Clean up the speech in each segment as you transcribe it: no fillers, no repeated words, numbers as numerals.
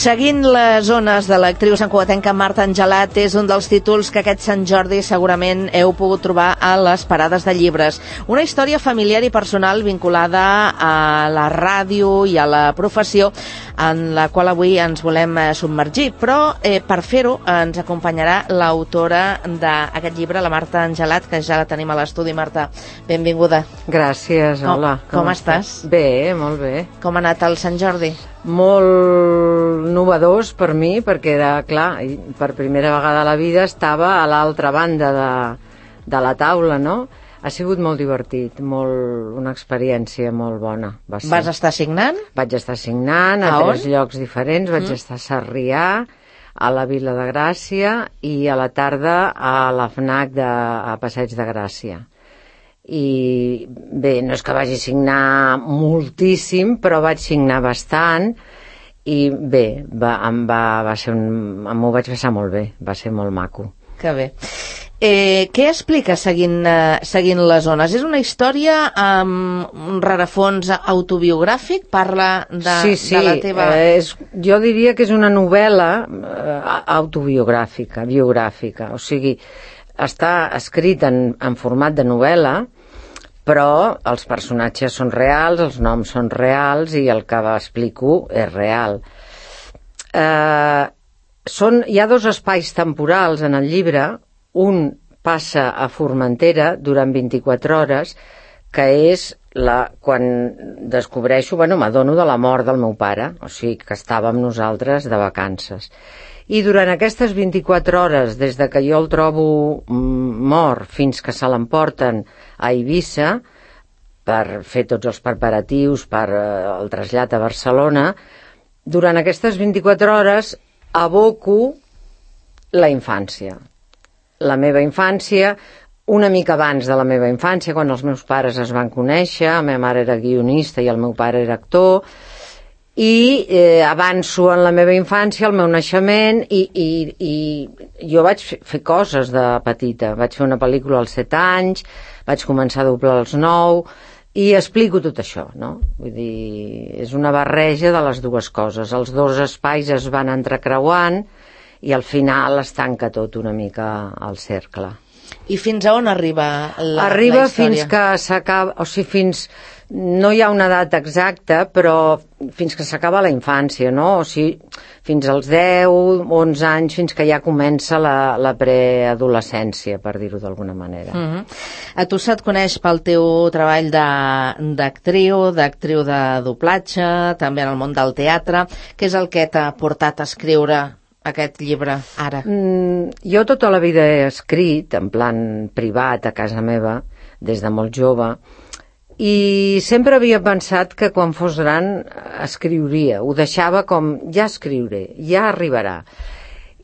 Seguint les ones de l'actriu santcugatenca Marta Angelat és un dels títols que aquest Sant Jordi segurament heu pogut trobar a les parades de llibres. Una història familiar i personal vinculada a la ràdio i a la professió en la qual avui ens volem submergir, però per fer-ho ens acompanyarà l'autora d'aquest llibre, la Marta Angelat, que ja la tenim a l'estudi. Marta, benvinguda. Gràcies, hola. Com estàs? Bé, molt bé. Com ha anat el Sant Jordi? Molt novedós per mi, perquè era, clar, per primera vegada a la vida estava a l'altra banda de la taula, no? Ha sigut molt divertit, una experiència molt bona. Vas estar signant? Vaig estar signant a 3 llocs diferents. Vaig estar a Sarrià, a la Vila de Gràcia i a la tarda a la FNAC a Passeig de Gràcia. I bé, no és que vagi signar moltíssim, però vaig signar bastant i bé, m'ho vaig passar molt bé, va ser molt maco. Que bé. Què explica seguint les ones? És una història amb un rerefons autobiogràfic? Parla de la teva... Jo diria que és una novel·la autobiogràfica, biogràfica, o sigui, està escrit en format de novel·la, però els personatges són reals, els noms són reals i el que explico és real. Hi ha 2 espais temporals en el llibre. Un passa a Formentera durant 24 hores, que és quan descobreixo, m'adono de la mort del meu pare, o sigui que estava amb nosaltres de vacances. I durant aquestes 24 hores, des de que jo el trobo mort fins que se l'emporten a Eivissa per fer tots els preparatius per el trasllat a Barcelona, durant aquestes 24 hores aboco la infància. La meva infància, una mica abans de la meva infància, quan els meus pares es van conèixer, la meva mare era guionista i el meu pare era actor, i avanço en la meva infància, el meu naixement, i jo vaig fer coses de petita. Vaig fer una pel·lícula als 7 anys, vaig començar a doblar als 9, i explico tot això, no? Vull dir, és una barreja de les dues coses. Els 2 espais es van entrecreuant i al final es tanca tot una mica al cercle. I fins a on arriba la història? Arriba fins que s'acaba, o sigui, no hi ha una data exacta, però fins que s'acaba la infància, no? O sigui, fins als 10, 11 anys, fins que ja comença la preadolescència, per dir-ho d'alguna manera. A tu se't coneix pel teu treball d'actriu de doblatge, també en el món del teatre. Què és el que t'ha portat a escriure aquest llibre ara? Jo tota la vida he escrit en plan privat a casa meva des de molt jove i sempre havia pensat que quan fos gran escriuria, ho deixava com ja escriuré, ja arribarà,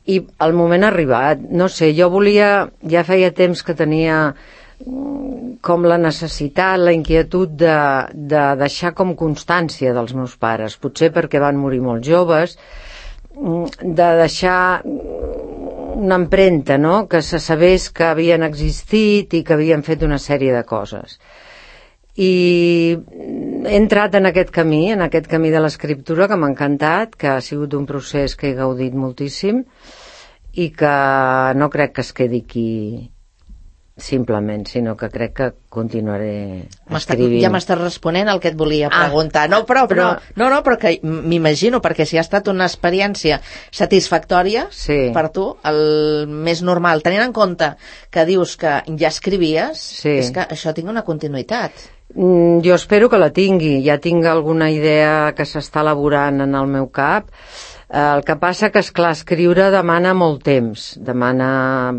i el moment ha arribat. No sé, jo ja feia temps que tenia com la necessitat, la inquietud de deixar com constància dels meus pares, potser perquè van morir molt joves, de deixar una empremta, no? Que se sabés que havien existit i que havien fet una sèrie de coses. I he entrat en aquest camí de l'escriptura, que m'ha encantat, que ha sigut un procés que he gaudit moltíssim i que no crec que es quedi aquí simplement, sinó que crec que continuaré escrivint. Ja m'estàs responent el que et volia preguntar. No, però que m'imagino, perquè si ha estat una experiència satisfactòria per tu, el més normal, tenint en compte que dius que ja escrivies, és que això tingui una continuïtat. Jo espero que la tingui. Ja tinc alguna idea que s'està elaborant en el meu cap. El que passa que, esclar, escriure demana molt temps, demana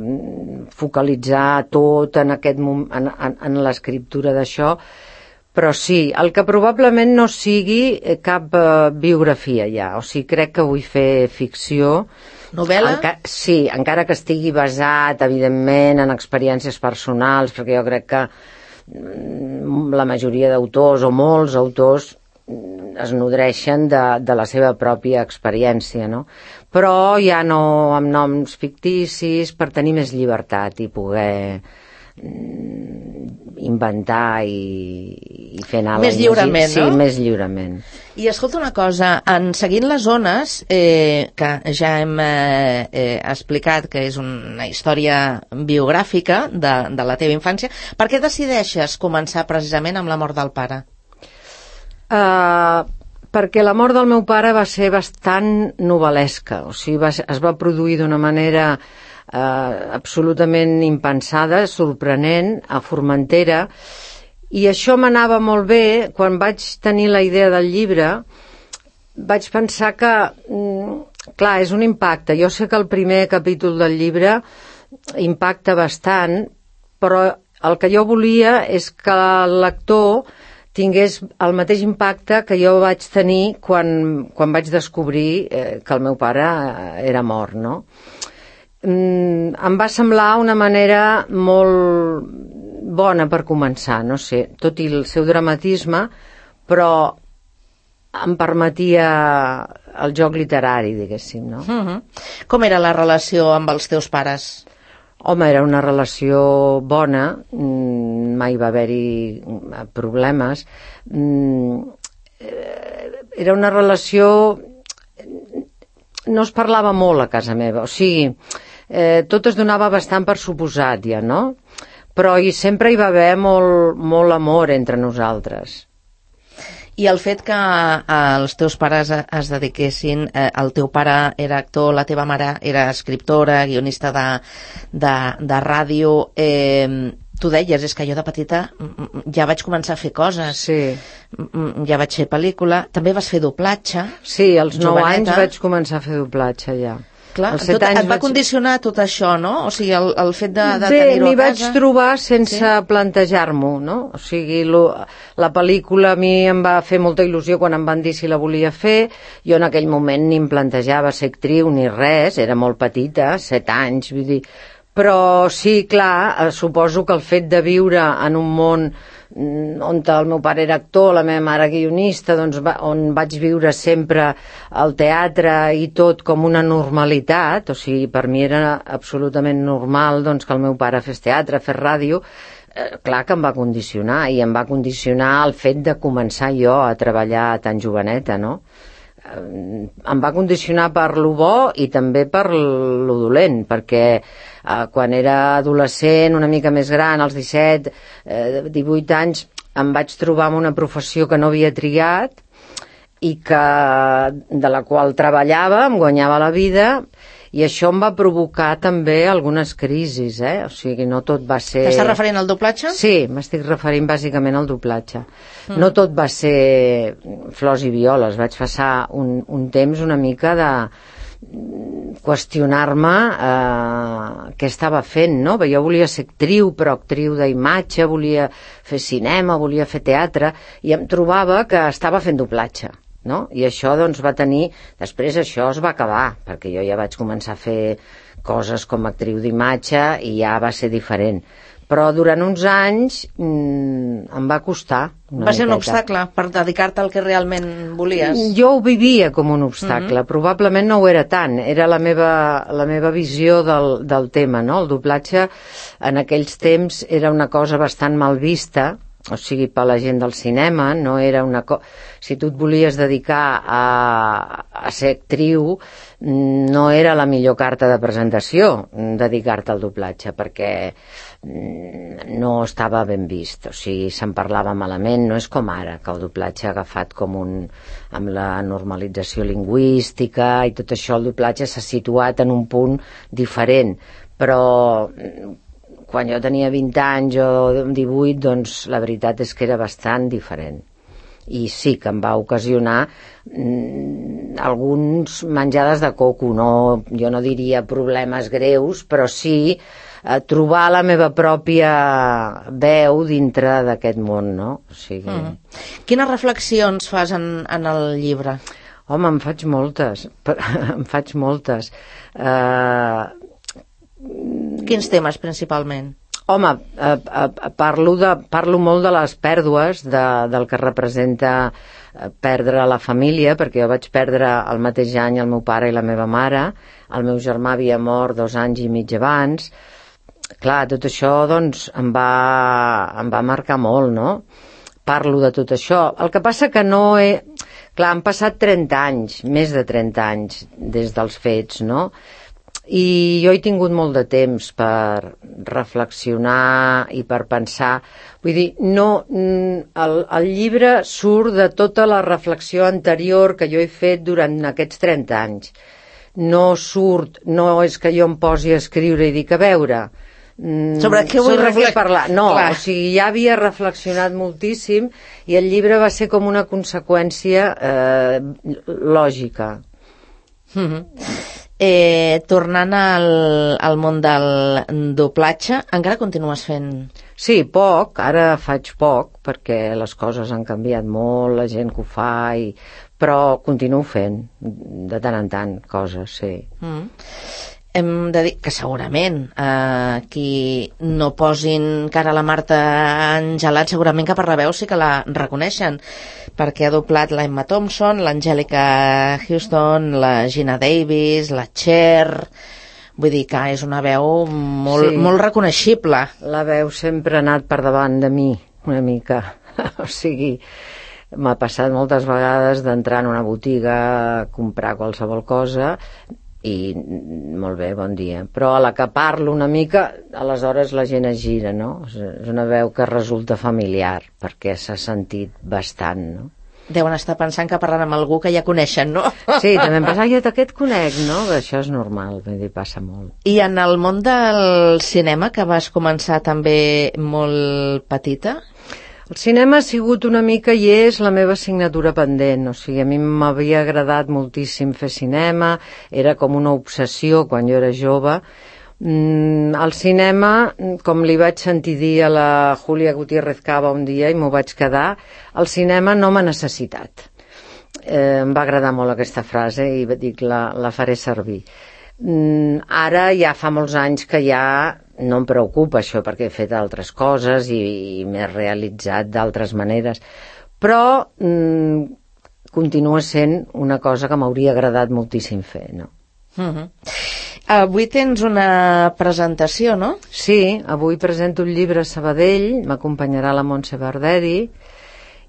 focalitzar tot en l'escriptura d'això, però sí, el que probablement no sigui cap biografia ja, o sigui, crec que vull fer ficció. Novel·la? Sí, encara que estigui basat, evidentment, en experiències personals, perquè jo crec que la majoria d'autors, o molts autors, es nodreixen de la seva pròpia experiència, no? Però ja no amb noms ficticis, per tenir més llibertat i poder inventar i fer anar més lliurement, no? Sí, més lliurement. I escolta una cosa, en Seguint les ones, que ja hem explicat que és una història biogràfica de la teva infància, per què decideixes començar precisament amb la mort del pare? Perquè la mort del meu pare va ser bastant novel·lesca, o sigui, es va produir d'una manera absolutament impensada, sorprenent, a Formentera, i això m'anava molt bé. Quan vaig tenir la idea del llibre vaig pensar que clar, és un impacte. Jo sé que el primer capítol del llibre impacta bastant, però el que jo volia és que el lector tingués el mateix impacte que jo vaig tenir quan vaig descobrir que el meu pare era mort, no? Em va semblar una manera molt bona per començar, no sé, tot i el seu dramatisme, però em permetia el joc literari, diguéssim, no? Com era la relació amb els teus pares? Home, era una relació bona, mai va haver-hi problemes. Era una relació... No es parlava molt a casa meva, o sigui, tot es donava bastant per suposat ja, no? Però sempre hi va haver molt amor entre nosaltres. I el fet que els teus pares es dediquessin, el teu pare era actor, la teva mare era escriptora, guionista de ràdio, tu deies, és que jo de petita ja vaig començar a fer coses. Sí. Ja vaig fer pel·lícula, també vas fer doblatge. Sí, als 9 anys vaig començar a fer doblatge ja. Clar, et va condicionar tot això, no? O sigui, el fet de tenir-ho a casa... Bé, m'hi vaig trobar sense plantejar-m'ho, no? O sigui, la pel·lícula a mi em va fer molta il·lusió quan em van dir si la volia fer. Jo en aquell moment ni em plantejava ser actriu ni res, era molt petita, 7 anys, vull dir... Però sí, clar, suposo que el fet de viure en un món on el meu pare era actor, la meva mare guionista, doncs on vaig viure sempre el teatre i tot com una normalitat, o sigui, per mi era absolutament normal doncs, que el meu pare fes teatre, fes ràdio, clar que em va condicionar, i em va condicionar el fet de començar jo a treballar tan joveneta, no? Em va condicionar per lo bo i també per lo dolent, perquè quan era adolescent, una mica més gran, als 17, 18 anys, em vaig trobar amb una professió que no havia triat i de la qual treballava, em guanyava la vida, i això em va provocar també algunes crisis, o sigui, no tot va ser... T'estàs referint al doblatge? Sí, m'estic referint bàsicament al doblatge. No tot va ser flors i violes, vaig passar un temps una mica de qüestionar-me què estava fent, no? Jo volia ser actriu, però actriu d'imatge, volia fer cinema, volia fer teatre, i em trobava que estava fent doblatge, no? I això doncs va tenir... Després això es va acabar, perquè jo ja vaig començar a fer coses com a actriu d'imatge i ja va ser diferent. Però durant uns anys em va costar una Va ser un miqueta. obstacle per dedicar-te al que realment volies? Jo ho vivia com un obstacle, probablement no ho era tant, era la meva visió del tema, no? El doblatge en aquells temps era una cosa bastant mal vista, o sigui, per la gent del cinema, no era una cosa... Si tu et volies dedicar a ser actriu, no era la millor carta de presentació dedicar-te al doblatge, perquè no estava ben vist, o sigui, se'n parlava malament, no és com ara, que el doblatge ha agafat com amb la normalització lingüística i tot això, el doblatge s'ha situat en un punt diferent, però quan jo tenia 20 anys o 18, doncs la veritat és que era bastant diferent. I sí que em va ocasionar alguns menjades de coco, jo no diria problemes greus, però sí trobar la meva pròpia veu dintre d'aquest món, no? O sigui... Quines reflexions fas en el llibre? Home, en faig moltes. Quins temes, principalment? Home, parlo molt de les pèrdues, del que representa perdre la família, perquè jo vaig perdre el mateix any el meu pare i la meva mare, el meu germà havia mort 2 anys i mig abans, clar, tot això doncs em va marcar molt, no? Parlo de tot això. El que passa que no he... Clar, han passat 30 anys, més de 30 anys des dels fets, no? I jo he tingut molt de temps per reflexionar i per pensar. Vull dir, no, el llibre surt de tota la reflexió anterior que jo he fet durant aquests 30 anys. No és que jo em posi a escriure i dic, a veure... Sobre què vull parlar? No, clar. O sigui, ja havia reflexionat moltíssim i el llibre va ser com una conseqüència lògica. Tornant al món del doblatge, encara continues fent? Sí, poc, ara faig poc perquè les coses han canviat molt, la gent que ho fa, però continuo fent de tant en tant coses, sí. Hem de dir que segurament qui no posin cara a la Marta Angelat segurament que per la veu sí que la reconeixen, perquè ha doblat la Emma Thompson, l'Angelica Houston, la Gina Davis, la Cher. Vull dir que és una veu molt reconeixible. La veu sempre ha anat per davant de mi una mica. O sigui, m'ha passat moltes vegades d'entrar en una botiga a comprar qualsevol cosa i molt bé, bon dia, però a la que parlo una mica aleshores la gent es gira, no? És una veu que resulta familiar perquè s'ha sentit bastant, no? Deuen estar pensant que parlen amb algú que ja coneixen, no? Sí, també em passa, jo aquest conec, no? Això és normal, vull dir, passa molt. I en el món del cinema, que vas començar també molt petita? El cinema ha sigut una mica i és la meva assignatura pendent, o sigui, a mi m'havia agradat moltíssim fer cinema, era com una obsessió quan jo era jove. El cinema, com li vaig sentir dir a la Júlia Gutiérrez Cava un dia i m'ho vaig quedar, el cinema no m'ha necessitat. Em va agradar molt aquesta frase i dic, la faré servir. Ara ja fa molts anys que ja no em preocupa això perquè he fet altres coses i m'he realitzat d'altres maneres, però continua sent una cosa que m'hauria agradat moltíssim fer, no? Avui tens una presentació, no? Sí, avui presento un llibre a Sabadell, m'acompanyarà la Montse Barderi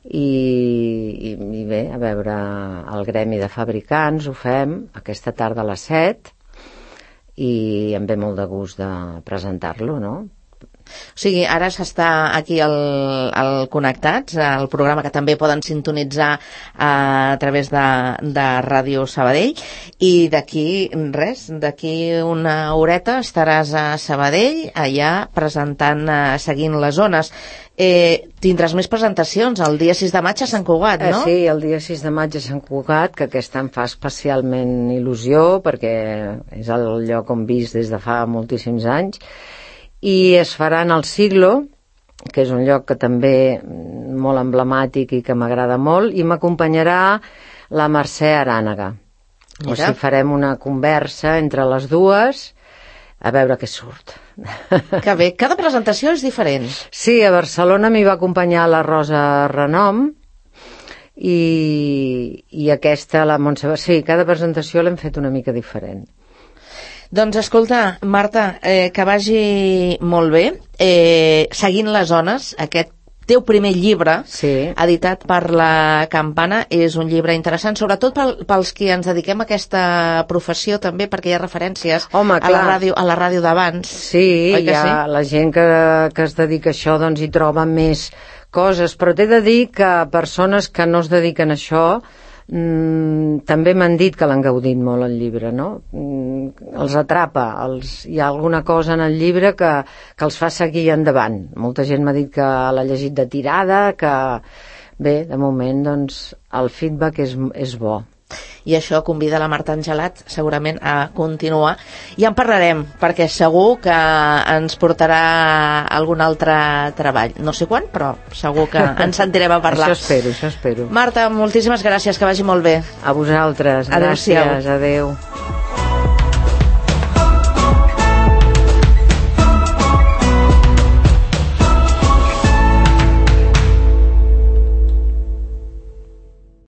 i bé, a veure, el Gremi de Fabricants ho fem aquesta tarda a les 7 i em ve molt de gust de presentar-lo, no? O sigui, ara s'està aquí al Connectats, el programa que també poden sintonitzar a través de Ràdio Sabadell, i d'aquí una horeta estaràs a Sabadell, allà presentant, seguint les zones. Tindràs més presentacions el dia 6 de maig a Sant Cugat, no? Sí, el dia 6 de maig a Sant Cugat, que aquest any fa especialment il·lusió perquè és el lloc on visc des de fa moltíssims anys, i es farà en el Siglo, que és un lloc que també molt emblemàtic i que m'agrada molt, i m'acompanyarà la Mercè Arànega. O sigui, farem una conversa entre les dues a veure què surt. Que bé, cada presentació és diferent. Sí, a Barcelona m'hi va acompanyar la Rosa Renom i aquesta, la Montse. Sí, cada presentació l'hem fet una mica diferent. Doncs escolta, Marta, que vagi molt bé. Seguint les zones, aquest teu primer llibre, editat per la Campana, és un llibre interessant, sobretot pels que ens dediquem a aquesta professió també, perquè hi ha referències a la ràdio d'abans. Sí, la gent que es dedica a això doncs hi troba més coses, però t'he de dir que persones que no es dediquen a això també m'han dit que l'han gaudit molt el llibre, no? Els atrapa, hi ha alguna cosa en el llibre que els fa seguir endavant. Molta gent m'ha dit que l'ha llegit de tirada, que bé, de moment doncs el feedback és bo. I això convida la Marta Angelat segurament a continuar, i en parlarem perquè segur que ens portarà algun altre treball, no sé quan, però segur que ens sentirem a parlar. Això espero. Marta, moltíssimes gràcies, que vagi molt bé. A vosaltres, gràcies, adeu.